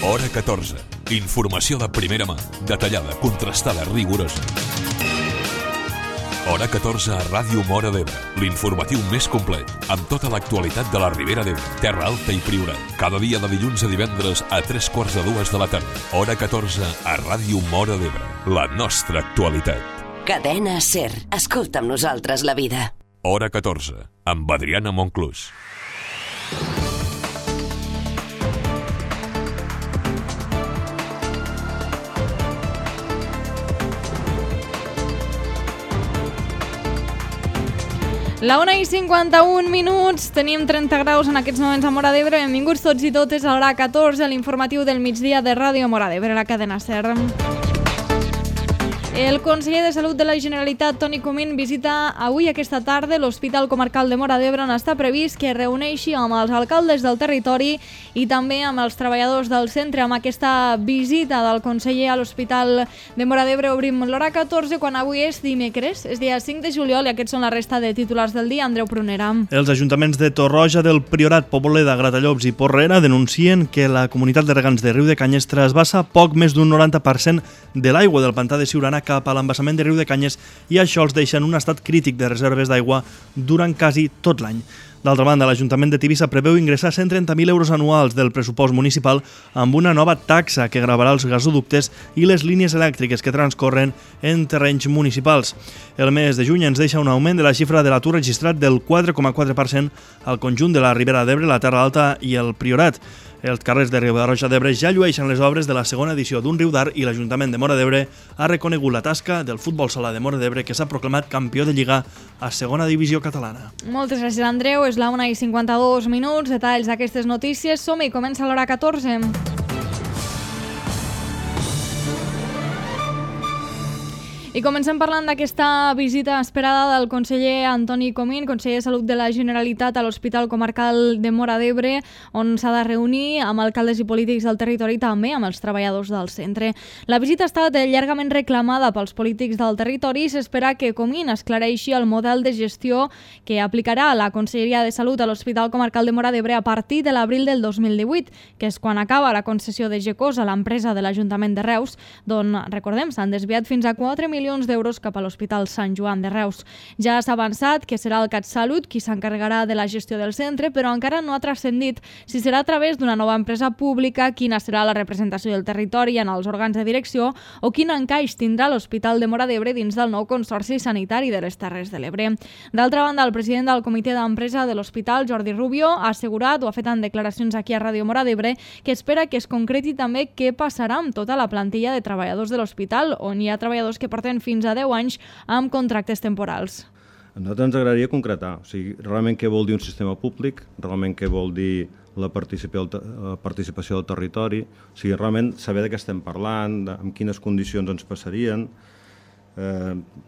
Hora 14. Informació de primera mà, detallada, contrastada, rigorosa. Hora 14 a Ràdio Móra d'Ebre, l'informatiu més complet, amb tota l'actualitat de la Ribera d'Ebre, Terra Alta i Priorat. Cada dia de dilluns a divendres a 3:45 de la tarda. Hora 14 a Ràdio Móra d'Ebre, la nostra actualitat. Cadena SER. Escolta amb nosaltres la vida. Hora 14, amb Adriana Monclús. La 1:51, tenim 30 graus en aquests moments a Móra d'Ebre. Benvinguts tots i totes a l'hora 14, l'informatiu del migdia de Ràdio Móra d'Ebre, la cadena SER. El conseller de Salut de la Generalitat, Toni Comín, visita avui aquesta tarda l'Hospital Comarcal de Móra d'Ebre, on està previst que es reuneixi amb els alcaldes del territori i també amb els treballadors del centre. Amb aquesta visita del conseller a l'Hospital de Móra d'Ebre obrim l'hora 14, quan avui és dimecres, és dia 5 de juliol, i aquests són la resta de titulars del dia. Andreu Prunera. Els ajuntaments de Torroja, del Priorat, Poboleda, Gratallops i Porrera denuncien que la comunitat de regants de Riudecanyes trasbassa poc més d'un 90% de l'aigua del pantà de Siurana cap a l'embassament de Riudecanyes, i això els deixa en un estat crític de reserves d'aigua durant quasi tot l'any. D'altra banda, l'Ajuntament de Tivissa preveu ingressar 130.000 euros anuals del pressupost municipal amb una nova taxa que gravarà els gasoductes i les línies elèctriques que transcorren en terrenys municipals. El mes de juny ens deixa un augment de la xifra de l'atur registrat del 4,4% al conjunt de la Ribera d'Ebre, la Terra Alta i el Priorat. Els carrers de Riba-roja d'Ebre ja llueixen les obres de la segona edició d'un riu d'Ar, i l'Ajuntament de Móra d'Ebre ha reconegut la tasca del futbol sala de Móra d'Ebre, que s'ha proclamat campió de Lliga a segona divisió catalana. Moltes gràcies, Andreu. És la 1:52. Detalls d'aquestes notícies. Som-hi, comença l'hora 14. I comencem parlant d'aquesta visita esperada del conseller Antoni Comín, conseller de Salut de la Generalitat, a l'Hospital Comarcal de Móra d'Ebre, on s'ha de reunir amb alcaldes i polítics del territori, també amb els treballadors del centre. La visita ha estat llargament reclamada pels polítics del territori i s'espera que Comín esclareixi el model de gestió que aplicarà la Conselleria de Salut a l'Hospital Comarcal de Móra d'Ebre a partir de l'abril del 2018, que és quan acaba la concessió de GECOS a l'empresa de l'Ajuntament de Reus, d'on, recordem, s'han desviat fins a 4 milions d'euros cap a l'Hospital Sant Joan de Reus. Ja s'ha avançat que serà el CatSalut qui s'encarregarà de la gestió del centre, però encara no ha transcendit si serà a través d'una nova empresa pública, quina serà la representació del territori en els òrgans de direcció o quin encaix tindrà l'Hospital de Móra d'Ebre dins del nou Consorci Sanitari de les Terres de l'Ebre. D'altra banda, el president del comitè d'empresa de l'Hospital, Jordi Rubio, ha assegurat, o ha fet en declaracions aquí a Ràdio Móra d'Ebre, que espera que es concreti també què passarà amb tota la plantilla de treballadors de l'hospital, on hi ha treballadors que porten fins a 10 anys amb contractes temporals. A nosaltres ens agradaria concretar, o sigui, realment què vol dir un sistema públic, realment què vol dir la participació del territori, o sigui, realment saber de què estem parlant, amb quines condicions ens passarien,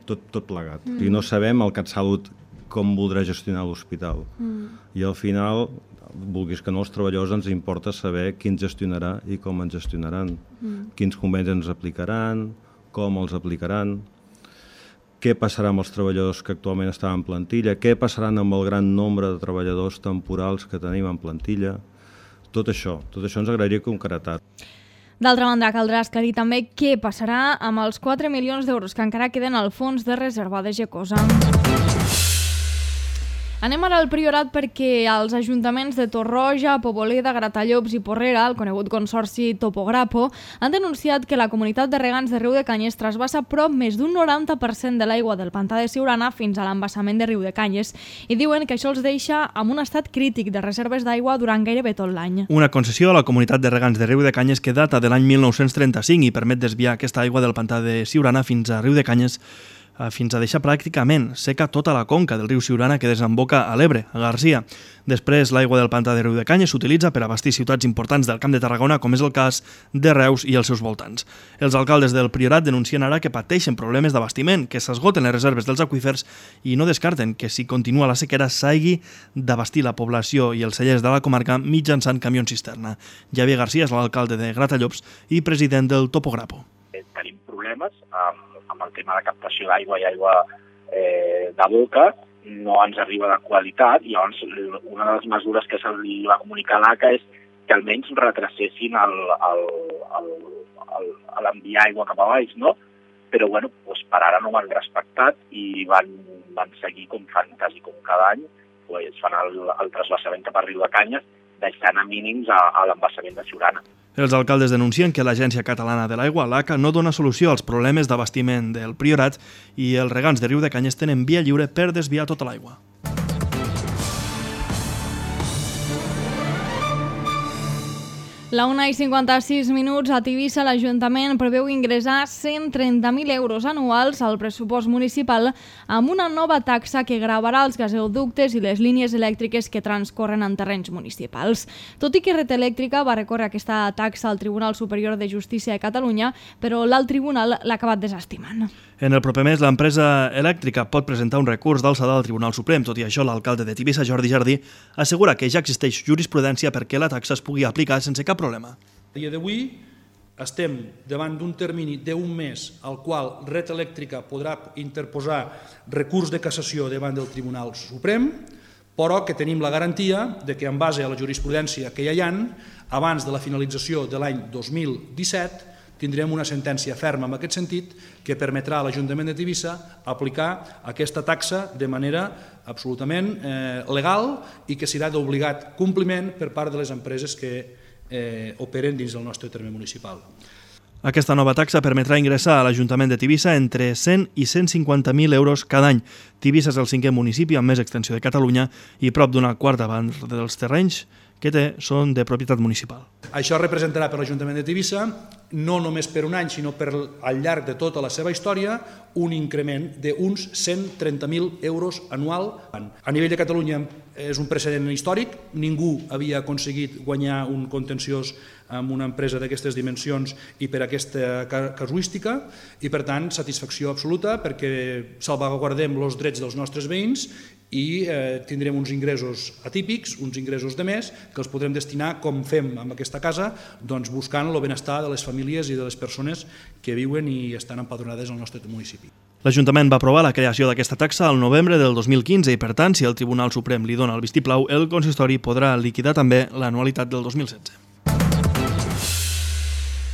tot plegat. O sigui, no sabem el CatSalut com voldrà gestionar l'hospital. I al final, vulguis que no, els treballadors ens importa saber qui ens gestionarà i com ens gestionaran, quins convenis ens aplicaran, com els aplicaran, què passarà amb els treballadors que actualment estan en plantilla, què passaran amb el gran nombre de treballadors temporals que tenim en plantilla. Tot això ens agradaria concretar. D'altra banda, caldrà esclarir també què passarà amb els 4 milions d'euros que encara queden al fons de reserva de GECOSA. Anem ara al Priorat, perquè els ajuntaments de Torroja, Poboleda, Gratallops i Porrera, el conegut consorci Topograpo, han denunciat que la comunitat de regants de Riudecanyes trasbassa prop més d'un 90% de l'aigua del pantà de Siurana fins a l'embassament de Riudecanyes, i diuen que això els deixa amb un estat crític de reserves d'aigua durant gairebé tot l'any. Una concessió a la comunitat de regants de Riudecanyes que data de l'any 1935 i permet desviar aquesta aigua del pantà de Siurana fins a Riudecanyes, fins a deixar pràcticament seca tota la conca del riu Siurana que desemboca a l'Ebre, a Garcia. Després, l'aigua del pantà de Riudecanyes s'utilitza per abastir ciutats importants del Camp de Tarragona, com és el cas de Reus i els seus voltants. Els alcaldes del Priorat denuncien ara que pateixen problemes d'abastiment, que s'esgoten les reserves dels aqüífers, i no descarten que si continua la sequera s'hagi d'abastir la població i els cellers de la comarca mitjançant camions cisterna. Javier Garcia és l'alcalde de Gratallops i president del Topograpo. Tenim problemes amb el tema de captació d'aigua i aigua de boca, no ens arriba de qualitat, i llavors una de les mesures que se li va comunicar a l'ACA és que almenys retracessin l'enviar aigua cap a baix, no? Però bueno, doncs per ara no ho han respectat i van seguir com fan quasi com cada any, doncs fan el trasbassament cap a Riudecanyes, deixant a mínims a l'embassament de Siurana. Els alcaldes denuncien que l'Agència Catalana de l'Aigua, l'ACA, no dona solució als problemes d'abastiment del Priorat i els regants de Riudecanyes tenen via lliure per desviar tota l'aigua. La 1:56 a Tivissa, l'Ajuntament preveu ingressar 130.000 euros anuals al pressupost municipal amb una nova taxa que gravarà els gasoductes i les línies elèctriques que transcorren en terrenys municipals. Tot i que Red Elèctrica va recórrer aquesta taxa al Tribunal Superior de Justícia de Catalunya, però l'alt tribunal l'ha acabat desestimant. En el proper mes, l'empresa elèctrica pot presentar un recurs d'alçada al Tribunal Suprem. Tot i això, l'alcalde de Tivissa, Jordi Jardí, assegura que ja existeix jurisprudència perquè la taxa es pugui aplicar sense cap problema. A dia d'avui estem davant d'un termini d'un mes al qual Red Elèctrica podrà interposar recurs de cassació davant del Tribunal Suprem, però que tenim la garantia de que en base a la jurisprudència que ja hi ha, abans de la finalització de l'any 2017, tindrem una sentència ferma en aquest sentit que permetrà a l'Ajuntament de Tivissa aplicar aquesta taxa de manera absolutament legal i que serà d'obligat compliment per part de les empreses que operen dins del nostre terme municipal. Aquesta nova taxa permetrà ingressar a l'Ajuntament de Tivissa entre 100 i 150.000 euros cada any. Tivissa és el 5è municipi amb més extensió de Catalunya i prop d'una quarta part dels terrenys que té són de propietat municipal. Això representarà per l'Ajuntament de Tivissa, no només per un any, sinó per al llarg de tota la seva història, un increment d'uns 130.000 euros anual. A nivell de Catalunya és un precedent històric, ningú havia aconseguit guanyar un contenciós amb una empresa d'aquestes dimensions i per aquesta casuística, i per tant satisfacció absoluta perquè salvaguardem els drets dels nostres veïns i tindrem uns ingressos atípics, uns ingressos de més, que els podrem destinar, com fem amb aquesta casa, doncs buscant el benestar de les famílies i de les persones que viuen i estan empadronades al nostre municipi. L'Ajuntament va aprovar la creació d'aquesta taxa al novembre del 2015 i, per tant, si el Tribunal Suprem li dona el vistiplau, el consistori podrà liquidar també l'anualitat del 2016.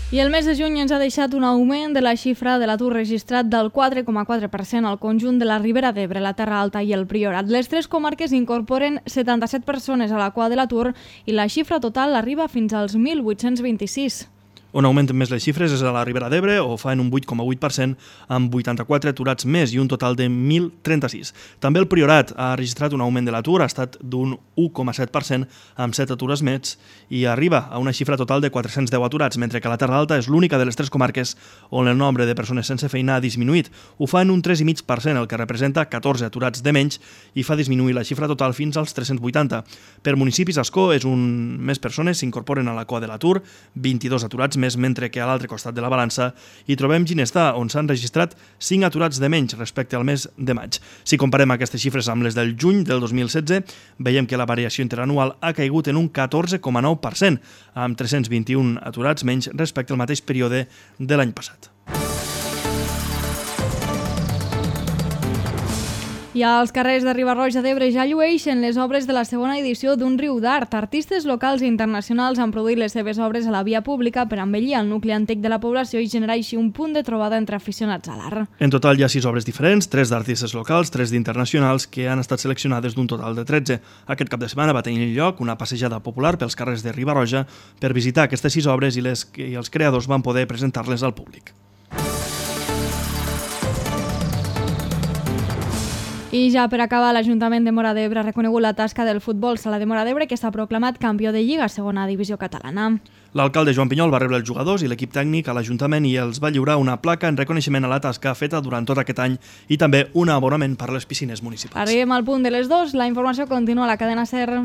I el mes de juny ens ha deixat un augment de la xifra de l'atur registrat del 4,4% al conjunt de la Ribera d'Ebre, la Terra Alta i el Priorat. Les tres comarques incorporen 77 persones a la cua de l'atur i la xifra total arriba fins als 1.826. On augmenten més les xifres és a la Ribera d'Ebre, o fa en un 8,8%, amb 84 aturats més i un total de 1.036. També el Priorat ha registrat un augment de l'atur, ha estat d'un 1,7%, amb 7 atures més, i arriba a una xifra total de 410 aturats, mentre que la Terra Alta és l'única de les tres comarques on el nombre de persones sense feina ha disminuït. Ho fa en un 3,5%, el que representa 14 aturats de menys, i fa disminuir la xifra total fins als 380. Per municipis, Ascó és on més persones s'incorporen a la cua de l'atur, 22 aturats més, mentre que a l'altre costat de la balança hi trobem Ginestà, on s'han registrat 5 aturats de menys respecte al mes de maig. Si comparem aquestes xifres amb les del juny del 2016, veiem que la variació interanual ha caigut en un 14,9%, amb 321 aturats menys respecte al mateix període de l'any passat. I als carrers de Riba-roja d'Ebre ja llueixen les obres de la segona edició d'un riu d'art. Artistes locals i internacionals han produït les seves obres a la via pública per embellir el nucli antic de la població i generar així un punt de trobada entre aficionats a l'art. En total hi ha 6 obres diferents, 3 d'artistes locals, 3 d'internacionals, que han estat seleccionades d'un total de 13. Aquest cap de setmana va tenir lloc una passejada popular pels carrers de Riba-roja per visitar aquestes 6 obres i els creadors van poder presentar-les al públic. I ja per acabar, l'Ajuntament de Móra d'Ebre ha reconegut la tasca del futbol sala de Móra d'Ebre, que s'ha proclamat campió de Lliga, segona divisió catalana. L'alcalde Joan Pinyol va rebre els jugadors i l'equip tècnic a l'Ajuntament i els va lliurar una placa en reconeixement a la tasca feta durant tot aquest any i també un abonament per a les piscines municipals. Arribem al punt de les 2, la informació continua a la cadena SER.